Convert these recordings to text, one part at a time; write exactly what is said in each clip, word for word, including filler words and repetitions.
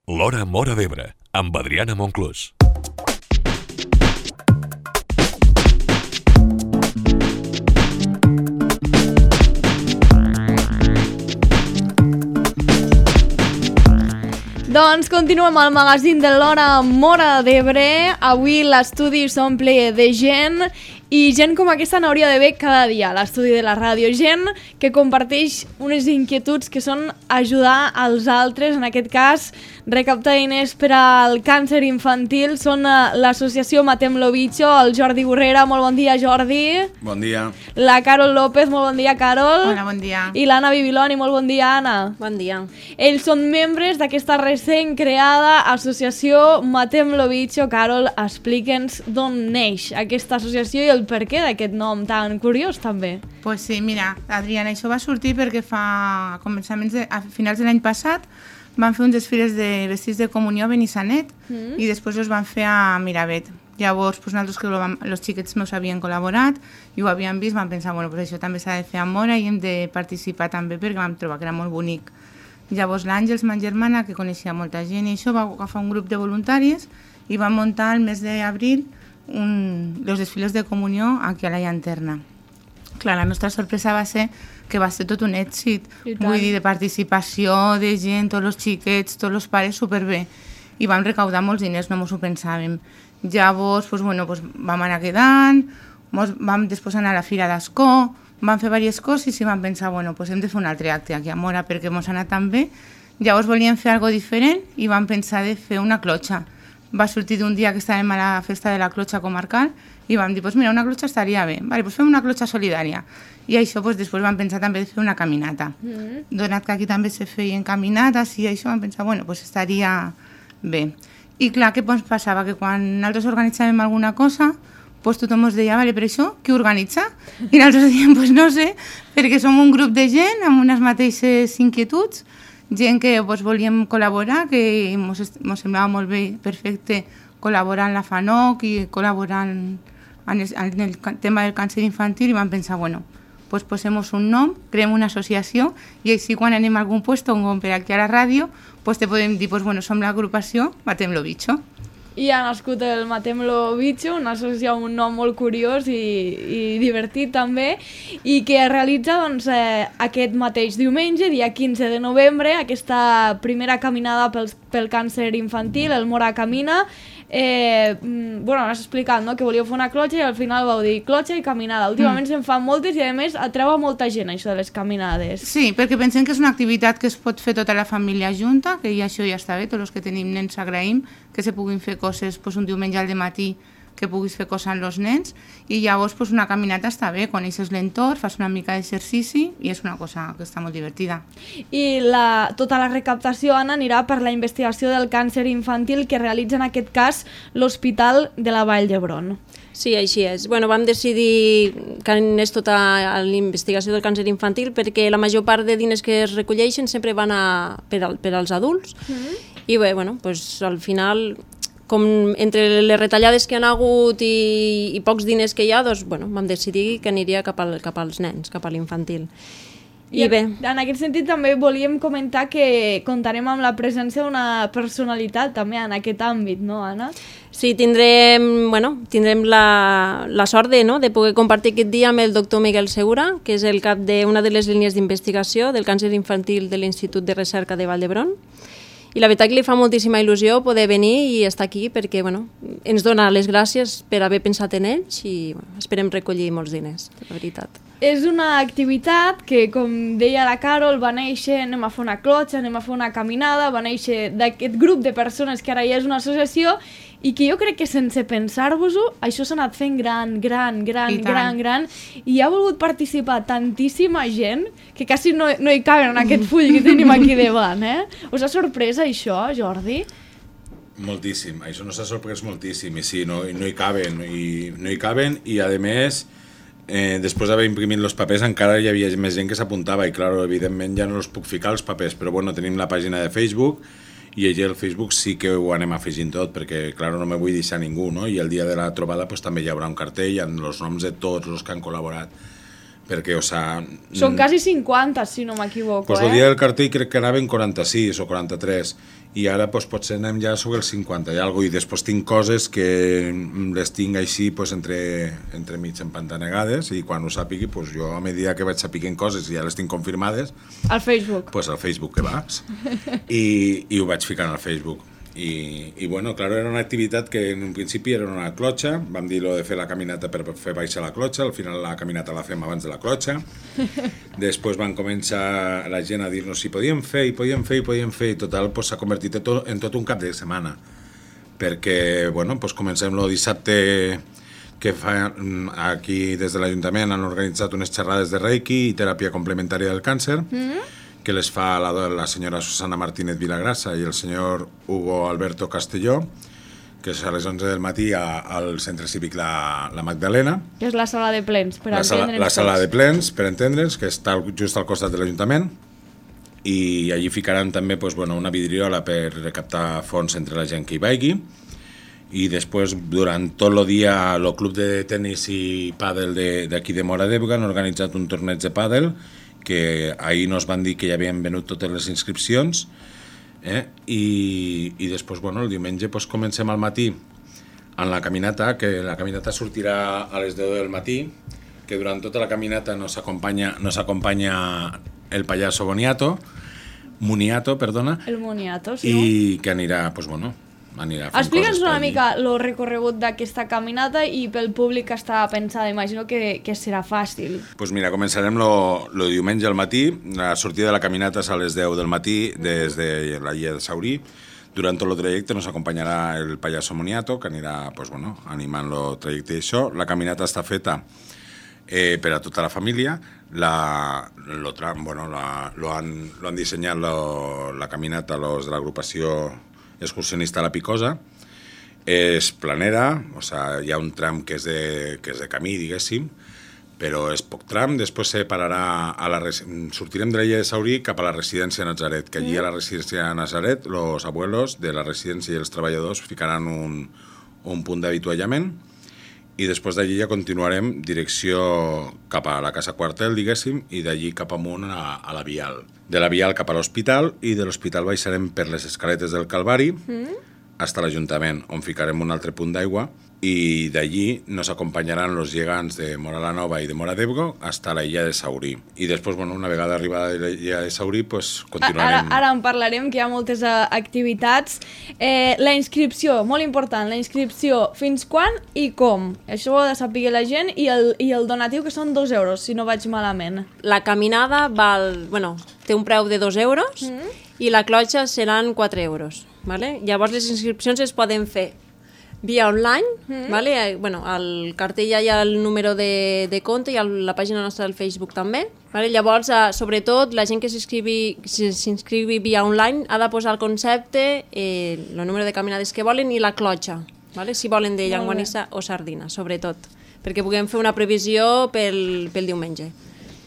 L'Hora Móra d'Ebre, amb Adriana Monclús. Doncs continuem al magazín de l'Hora Móra d'Ebre. Avui l'estudi s'omple de gent i gent com aquesta n'hauria d'haver cada dia a l'estudi de la ràdio. Gent que comparteix unes inquietuds que són ajudar als altres, en aquest cas recaptar diners per al càncer infantil. Són l'associació Matem lo Bicho, el Jordi Borrera. Molt bon dia, Jordi. Bon dia. La Carol López. Molt bon dia, Carol. Hola, bon dia. I l'Anna Bibiloni. Molt bon dia, Anna. Bon dia. Ells són membres d'aquesta recent creada associació Matem lo Bicho. Carol, explica'ns d'on neix aquesta associació i el per què d'aquest nom tan curiós, també. Pues sí, mira, Adriana, això va sortir perquè fa a començaments de, a finals de l'any passat van fer uns desfiles de vestits de comunió a Benissanet mm. i després els van fer a Miravet. Llavors, pues, nosaltres que els xiquets meus havien col·laborat i ho havien vist, vam pensar, bueno, pues això també s'ha de fer a Móra i hem de participar també perquè vam trobar que era molt bonic. Llavors l'Àngels, ma germana, que coneixia molta gent i això, va agafar un grup de voluntaris i va muntar el mes d'abril un, els desfiles de comunió aquí a la llanterna. Clar, la nostra sorpresa va ser que va ser tot un èxit, vull dir, de participació, de gent, tots els xiquets, tots els pares, superbé. I vam recaudar molts diners, no mos ho pensàvem. Llavors, pues, bueno, pues, vam anar quedant, mos, vam després anar a la Fira d'Ascó, vam fer diverses coses i vam pensar, bueno, pues hem de fer un altre acte aquí a Móra perquè mos ha anat tan bé. Llavors volíem fer alguna diferent i vam pensar de fer una clotxa. Va sortir d'un dia que estàvem a la festa de la clotxa comarcal i vam dir, pues mira, una clotxa estaria bé, vale, pues fem una clotxa solidària. I això pues, després vam pensar també de fer una caminata. Mm. Donat que aquí també se feien caminates i això vam pensar, bueno, pues estaria bé. I clar, què pues, passava? Que quan nosaltres organitzàvem alguna cosa, pues tothom ens deia, vale, per això, qui organitza? I nosaltres dèiem, pues no sé, perquè som un grup de gent amb unes mateixes inquietuds, gent que pues, volíem col·laborar, que ens semblava molt bé, perfecte, col·laborar en la FANOC i col·laborar en, en, el, en el tema del càncer infantil i vam pensar, bueno, pues posem un nom, creem una associació i així quan anem a algun lloc, com per aquí a la ràdio, pues te podem dir, pues bueno, som l'agrupació Matem lo Bicho. I ha nascut el Matem lo Bicho, una associació amb un nom molt curiós i, i divertit també, i que realitza doncs, eh, aquest mateix diumenge, dia quinze de novembre, aquesta primera caminada pel, pel càncer infantil, el Móra Camina. Eh, bueno, has explicat, no?, que volíeu fer una clotxa i al final vau dir clotxa i caminada. Últimament mm. se'n fan moltes i a més atreu a molta gent això de les caminades. Sí, perquè pensem que és una activitat que es pot fer tota la família junta, que ja això ja està bé, tots els que tenim nens agraïm que se puguin fer coses pues, un diumenge al dematí, que puguis fer coses amb els nens i llavors pues, una caminata està bé, coneixes l'entorn, fas una mica d'exercici i és una cosa que està molt divertida. I la, tota la recaptació, Anna, anirà per la investigació del càncer infantil que realitza en aquest cas l'Hospital de la Vall d'Hebron. Sí, així és. Bueno, vam decidir que anés tota la investigació del càncer infantil perquè la major part de diners que es recolleixen sempre van a, per, al, per als adults mm-hmm. i bé, bueno, pues, al final com entre les retallades que han hagut i, i pocs diners que hi ha, doncs, bueno, vam decidir que aniria cap, al, cap als nens, cap a l'infantil. I, I bé. En aquest sentit també volíem comentar que comptarem amb la presència d'una personalitat també en aquest àmbit, no, Anna? Sí, tindrem, bueno, tindrem la, la sort de, no, de poder compartir aquest dia amb el doctor Miguel Segura, que és el cap d'una de les línies d'investigació del càncer infantil de l'Institut de Recerca de Vall d'Hebron. I la veritat que li fa moltíssima il·lusió poder venir i estar aquí perquè bueno, ens dona les gràcies per haver pensat en ells i bueno, esperem recollir molts diners, la veritat. És una activitat que, com deia la Carol, va néixer, anem a fer una clotxa, anem a fer una caminada, va néixer d'aquest grup de persones que ara ja és una associació i que jo crec que sense pensar-vos-ho, això s'ha anat fent gran, gran, gran, gran, gran, i ha volgut participar tantíssima gent que quasi no, no hi caben en aquest full que tenim aquí davant, eh? Us ha sorprès això, Jordi? Moltíssim, això no s'ha sorprès moltíssim, i sí, no, no hi caben, i, no hi caben, i a més, eh, després d'haver imprimit els papers encara hi havia més gent que s'apuntava, i clar, evidentment ja no els puc ficar els papers, però bueno, tenim la pàgina de Facebook, i allí al Facebook sí que ho anem afegint tot, perquè, clar, no me vull deixar ningú, no? I el dia de la trobada pues, també hi haurà un cartell amb els noms de tots els que han col·laborat perquè, o sea... Són quasi cinquanta, si no m'equivoco, pues eh? el dia del cartell crec que anaven quaranta-sis o quaranta-tres, i ara pues, potser anem ja sobre els cinquanta i alguna cosa, i després tinc coses que les tinc així pues, entre, entre mig empantanegades, i quan ho sàpigui, pues, jo a medida que vaig sapiguent coses i ja les tinc confirmades... Al Facebook. Pues al Facebook que vas, i, i ho vaig ficant al Facebook. I, i bueno, claro, era una activitat que en un principi era una clotxa, vam dir lo de fer la caminata per fer baixar la clotxa, al final la caminata la fem abans de la clotxa, després van començar la gent a dir-nos si podíem fer, i podíem fer, i podíem fer, i total pues, s'ha convertit en tot, en tot un cap de setmana, perquè, bueno, pues comencem el dissabte que fa, aquí des de l'Ajuntament han organitzat unes xerrades de Reiki i teràpia complementària del càncer, mm-hmm. que les fa la, la senyora Susana Martínez Vilagrassa i el senyor Hugo Alberto Castelló, que és a les onze del matí a, al Centre Cívic la, la Magdalena. Que és la sala de plens, per la entendre'ns. Sala, la sala de plens, per entendre'ns, que està just al costat de l'Ajuntament, i allí ficaran també pues, bueno, una vidriola per recaptar fons entre la gent que hi vagi, i després, durant tot el dia, el club de tennis i pàdel d'aquí de, de Móra d'Ebre han organitzat un torneig de pàdel, que ahir nos van dir que ja havien venut totes les inscripcions, eh? I, i després, bueno, el diumenge pues, comencem al matí en la caminata, que la caminata sortirà a les deu del matí, que durant tota la caminata nos acompanya, nos acompanya el payaso Boniato, Muniato, perdona, el Muniato, sí. I que anirà, pues, bueno, anirà fent Explica'ns coses una per mica el recorregut d'aquesta caminata i pel públic que està pensada. Imagino que, que serà fàcil. Pues mira, començarem el diumenge al matí. La sortida de la caminata és a les deu del matí des de la Illa de Saurí. Durant tot el trajecte nos acompanyarà el payaso Moniato, que anirà pues, bueno, animant el trajecte i això. La caminata està feta eh, per a tota la família. La, lo, bueno, la, lo, han, lo han dissenyat lo, la caminata los de l'agrupació excursionista La Picosa. És planera, o sea, hi ha un tram que és de, que és de camí, diguéssim, però és poc tram. Després se pararà a la, sortirem de l'illa de Saurí cap a la residència Nazaret, que allí a la residència Nazaret los abuelos de la residència i els treballadors ficaran un, un punt d'avituallament, i després d'allí ja continuarem direcció cap a la Casa Quartel, diguéssim, i d'allí cap amunt a, a la Vial. De la Vial cap a l'Hospital, i de l'Hospital baixarem per les escaletes del Calvari mm. fins a l'Ajuntament, on ficarem un altre punt d'aigua, i d'allí nos acompanyaran los llegants de Móra la Nova i de Móra d'Ebre fins a la illa de Saurí. I després, bueno, una vegada arribada a la illa de Saurí, pues, continuarem... Ara, ara en parlarem, que hi ha moltes uh, activitats. Eh, la inscripció, molt important, la inscripció, fins quan i com? Això ho ha de saber la gent, i el, i el donatiu, que són dos euros, si no vaig malament. La caminada val, bueno, té un preu de dos euros mm. i la clotxa seran quatre euros. Vale? Llavors les inscripcions es poden fer via online, mm. vale? Bueno, al cartell ja hi ha el número de, de compte i a la pàgina nostra del Facebook també. Vale? Llavors, eh, sobretot, la gent que s'inscrivi via online ha de posar el concepte, eh, el número de caminades que volen i la clotxa, vale? Si volen de llenguanissa o sardina, sobretot, perquè puguem fer una previsió pel, pel diumenge.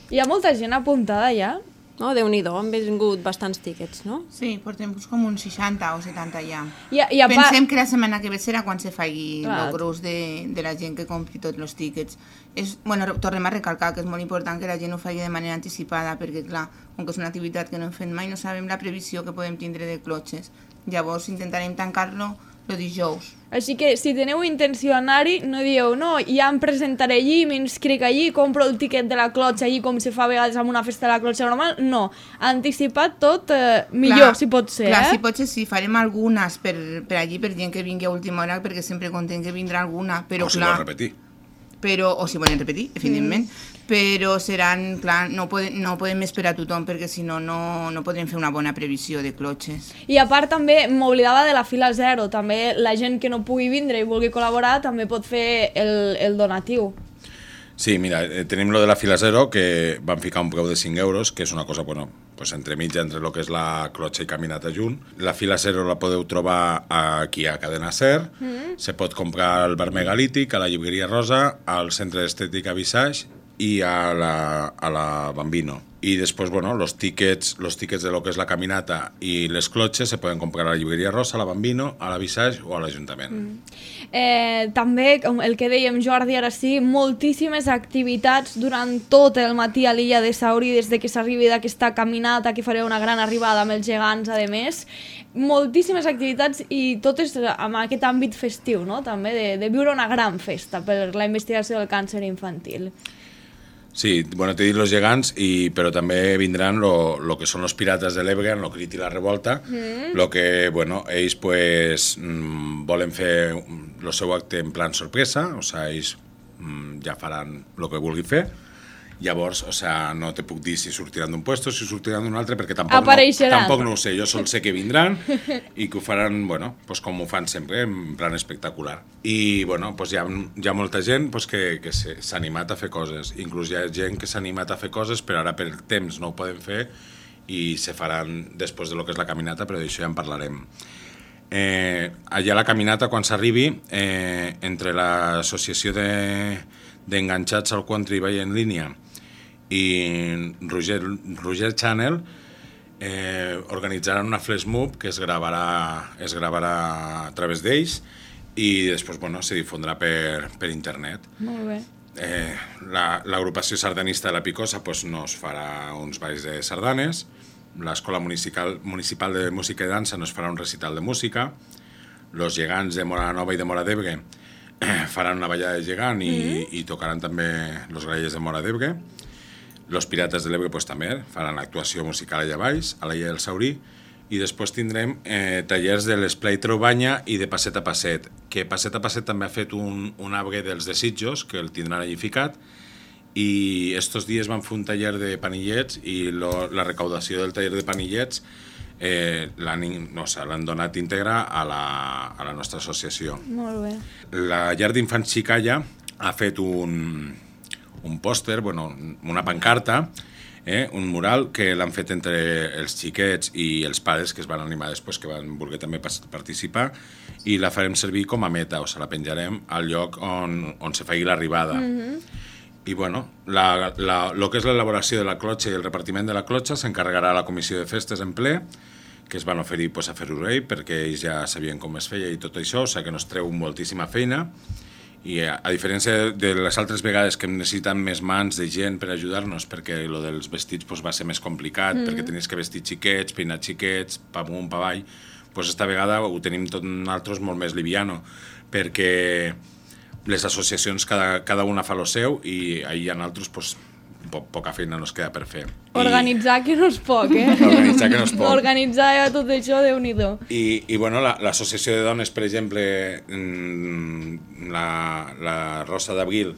Hi ha molta gent apuntada ja? No, Déu-n'hi-do, han vingut bastants tíquets, no? Sí, portem com uns seixanta o setanta ja. I, i part... Pensem que la setmana que ve serà quan se faci el gros de, de la gent que compri tots els tíquets. És, bueno, tornem a recalcar que és molt important que la gent ho faci de manera anticipada, perquè, clar, com que és una activitat que no hem fet mai, no sabem la previsió que podem tindre de clotxes. Llavors intentarem tancar-lo el dijous. Així que, si teniu intenció d'anar-hi, no dieu, no, ja em presentaré allí, m'inscric allí, compro el tiquet de la clotxa allí, com se fa a vegades amb una festa de la clotxa normal. No, anticipat tot, eh, millor, clar, si pot ser, clar, eh? si pot ser, sí, farem algunes per, per allí, per gent que vingui a última hora, perquè sempre contem que vindrà alguna, però o si clar... vol repetir. Però, o si volen repetir, evidentment, mm. però seran, clar, no, pode, no podem esperar a tothom, perquè si no, no, no podrem fer una bona previsió de clotxes. I a part també, m'oblidava de la fila zero, també la gent que no pugui vindre i vulgui col·laborar també pot fer el, el donatiu. Sí, mira, eh, tenim lo de la fila zero, que van ficar un preu de cinc euros, que és una cosa, bueno, pues entre mitja, entre lo que és la clotxa i caminata junt. La fila zero la podeu trobar aquí a Cadena Ser, mm. se pot comprar al bar Megalític, a la llibreria Rosa, al centre d'estètica Visage i a la, a la Bambino. Y después, bueno, los tickets, los tickets de lo que es la caminata y les clotxes se poden comprar a la llibreria Rosa, a la Bambino, a la Visage o a l'Ajuntament. Mm. Eh, també, com el que dèiem Jordi, ara sí, moltíssimes activitats durant tot el matí a l'illa de Sauri, des de que s'arribi d'aquesta caminata, que faré una gran arribada amb els gegants, a més. Moltíssimes activitats i totes amb aquest àmbit festiu, no? També de, de viure una gran festa per la investigació del càncer infantil. Sí, bueno, t'he dit los gegants, i, però també vindran lo, lo que són los pirates de l'Ebre, en lo Crit i la Revolta, mm. lo que, bueno, ells pues mmm, volen fer el seu acte en plan sorpresa, o sea, ells mmm, ja faran el que vulguin fer. Llavors, o sea, no te puc dir si sortiran d'un puesto, si sortiran d'un altre, perquè tampoc no, tampoc no ho sé. Jo sol sé que vindran i que ho faran, bueno, pues com ho fan sempre, en plan espectacular. I, bueno, pues hi ha, hi ha molta gent pues, que, que s'ha animat a fer coses. Inclús hi ha gent que s'ha animat a fer coses, però ara per temps no ho poden fer i se faran després de lo que és la caminata, però d'això ja en parlarem. Eh, allà a la caminata, quan s'arribi, eh, entre l'associació d'enganxats de, al country i en línia i Roger, Roger Channel eh, organitzaran una flash mob que es gravarà, es gravarà a través d'ells i després, bueno, se difondrà per, per internet. Molt bé. Eh, l'agrupació la, sardanista de la Picosa pues, nos farà uns balls de sardanes, l'escola municipal, municipal de música i dansa nos farà un recital de música, los gegants de Mora Nova i de Mora d'Ebre eh, faran una ballada de gegant i, mm-hmm. i tocaran també los grallers de Mora d'Ebre. Los Pirates de l'Ebre pues, també faran actuació musical allà baix, a la Illa del Saurí, i després tindrem eh, tallers de l'Esplai Traubanya i de Passet a Passet, que Passet a Passet també ha fet un, un arbre dels desitjos, que el tindran allí ficat, i estos dies van fer un taller de panillets i lo, la recaudació del taller de panillets eh, l'han no, o sea, donat íntegra a la, a la nostra associació. Molt bé. La llar d'infants Xicalla ha fet un... un pòster, bueno, una pancarta, eh, un mural que l'han fet entre els xiquets i els pares que es van animar després, que van voler també participar, i la farem servir com a meta, o sigui, la penjarem al lloc on, on se faci l'arribada. Mm-hmm. I, bueno, la, la, lo que és l'elaboració de la clotxa i el repartiment de la clotxa s'encarregarà la comissió de festes en ple, que es van oferir pues, a fer-ho rei, perquè ells ja sabien com es feia i tot això, o sigui que nos treu moltíssima feina. I a, a diferència de les altres vegades que hem necessitat més mans de gent per ajudar-nos, perquè lo dels vestits pues, va ser més complicat, mm. perquè tenies que vestir xiquets, peinar xiquets, pa amunt, pa avall, pues esta vegada ho tenim tot nosaltres molt més liviano, perquè les associacions cada, cada una fa lo seu i ahir en altres pues, po poca feina nos queda per fer. Organitzar I... que no és poc, eh? Organitzar que no és poc. Organitzar tot això, Déu-n'hi-do. I, i bueno, l'associació la, de dones, per exemple, la, la Rosa d'Abril,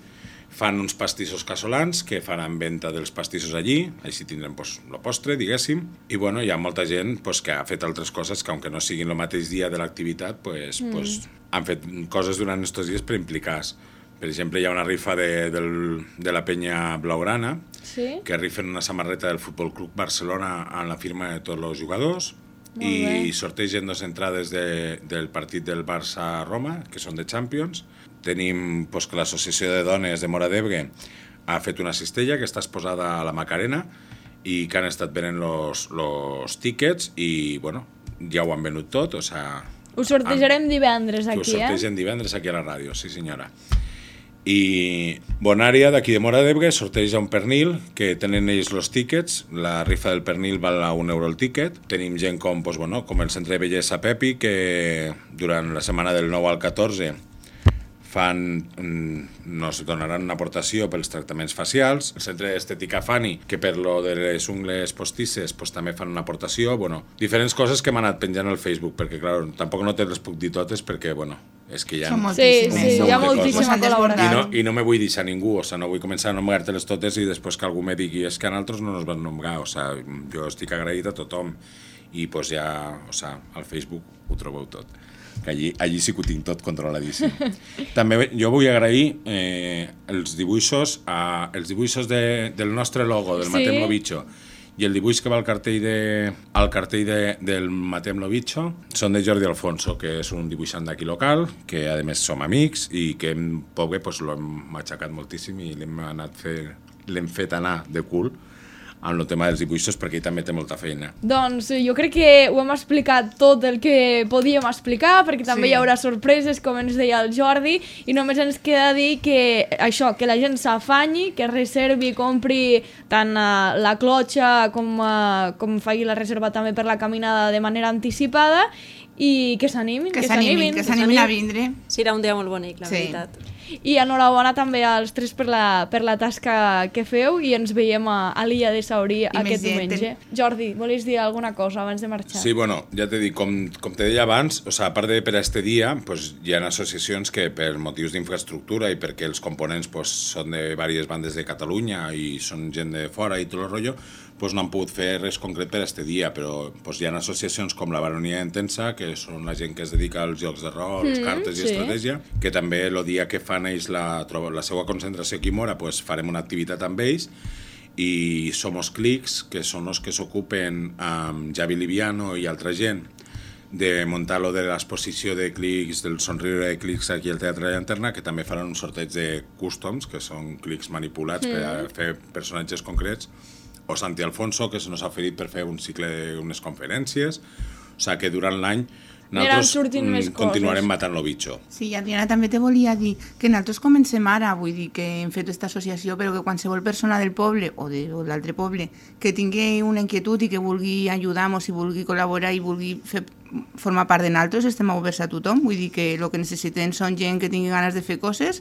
fan uns pastissos casolans que faran venda dels pastissos allí, així tindrem pues, el postre, diguéssim, i bueno, hi ha molta gent pues, que ha fet altres coses que, aunque no siguin el mateix dia de l'activitat, pues, mm. pues, han fet coses durant aquests dies per implicar-se. Per exemple, hi ha una rifa de, del, de la penya blaugrana, sí? que rifen una samarreta del Futbol Club Barcelona amb la firma de tots els jugadors, molt i bé. Sortegen dos entrades de, del partit del Barça-Roma, que són de Champions. Tenim pues, que l'Associació de Dones de Mora d'Ebre ha fet una cistella que està exposada a la Macarena i que han estat venent els tíquets i, bueno, ja ho han venut tot, o sea... Ho sortejarem han, divendres aquí, eh? Ho sortegen divendres aquí a la ràdio, sí senyora. I Bonària, d'aquí de Mora d'Ebre, sorteja un pernil, que tenen ells els tíquets, la rifa del pernil val a un euro el tíquet. Tenim gent com, pues, bueno, com el Centre de Bellesa Pepi, que durant la setmana del nou al catorze fan, nos donaran una aportació pels tractaments facials. El Centre d'Estètica Fani, que per lo de les ungles postisses pues, també fan una aportació. Bueno, diferents coses que m'han anat penjant al Facebook, perquè, clar, tampoc no te les puc dir totes, perquè, bueno, és que hi ha... Sí, sí, hi ha moltíssima col·laboració. I no, I no me vull deixar ningú, o sea, no vull començar a nombrar-te-les totes i després que algú me digui és que a nosaltres no ens van nombrar, o sea, jo estic agraït a tothom i pues ja, o sea, al Facebook ho trobeu tot. Que allí, allí sí que ho tinc tot controladíssim. També jo vull agrair eh, els dibuixos, a, els dibuixos de, del nostre logo, del sí? Matem lo Bicho, i el dibuix que va al cartell, de, al cartell de, del Matem lo Bicho són de Jordi Alfonso, que és un dibuixant d'aquí local, que a més som amics i que en poc bé pues, l'hem matxacat moltíssim i l'hem anat fer, l'hem fet anar de cul amb el tema dels dibuixos, perquè ell també té molta feina. Doncs jo crec que ho hem explicat tot el que podíem explicar, perquè també sí. hi haurà sorpreses, com ens deia el Jordi, i només ens queda dir que això, que la gent s'afanyi, que reservi, compri tant uh, la clotxa com, uh, com faci la reserva també per la caminada de manera anticipada, i que s'animin, que s'animin, que s'animin a vindre. Serà un dia molt bonic, la sí. veritat. I enhorabona també als tres per la, per la tasca que feu i ens veiem a, a l'illa de Saurí aquest diumenge. Jordi, volies dir alguna cosa abans de marxar? Sí, bueno, ja t'he dit, com, com te deia abans, o sea, a part de per a este dia, pues, hi ha associacions que per motius d'infraestructura i perquè els components pues, són de diverses bandes de Catalunya i són gent de fora i tot el rotllo, pues, no han pogut fer res concret per a este dia, però pues, hi ha associacions com la Baronia Intensa, que són la gent que es dedica als jocs de rol, mm, cartes i sí. estratègia, que també el dia que fan ells la, la seva concentració aquí a Mora, pues, farem una activitat amb ells, i Somos Clics, que són els que s'ocupen amb Javi Liviano i altra gent de muntar lo de l'exposició de clics, del somriure de clics aquí al Teatre de Llanterna, que també faran un sorteig de customs, que són clics manipulats mm. per a fer personatges concrets, o Santi Alfonso, que se nos ha oferit per fer un cicle d'unes conferències, o sigui que durant l'any nosaltres continuarem matant lo bitxo. Sí, Adriana, també te volia dir que nosaltres comencem ara, vull dir que hem fet aquesta associació, però que qualsevol persona del poble o de o l'altre poble que tingui una inquietud i que vulgui ajudar-nos i vulgui col·laborar i vulgui fer, formar part de nosaltres, estem oberts a tothom. Vull dir que el que necessitem són gent que tingui ganes de fer coses,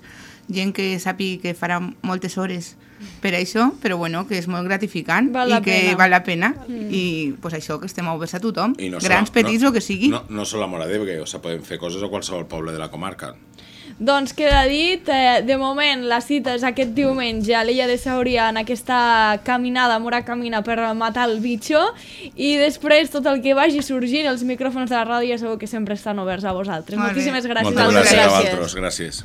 gent que sàpiga que farà moltes hores per això, però bueno, que és molt gratificant val i que pena. val la pena mm. i pues això, que estem oberts a tothom, no grans, sola, petits no, o que sigui. No, no sol a Móra d'Ebre, o sigui, podem fer coses a qualsevol poble de la comarca. Doncs queda dit, eh, de moment la cita és aquest diumenge a l'illa de Sauria en aquesta caminada, Mora Camina, per matar el bitxo, i després tot el que vagi sorgint, els micròfons de la ràdio ja sabeu que sempre estan oberts a vosaltres. Molt Moltíssimes bé. gràcies. Moltes gràcies a gràcies. vosaltres, gràcies.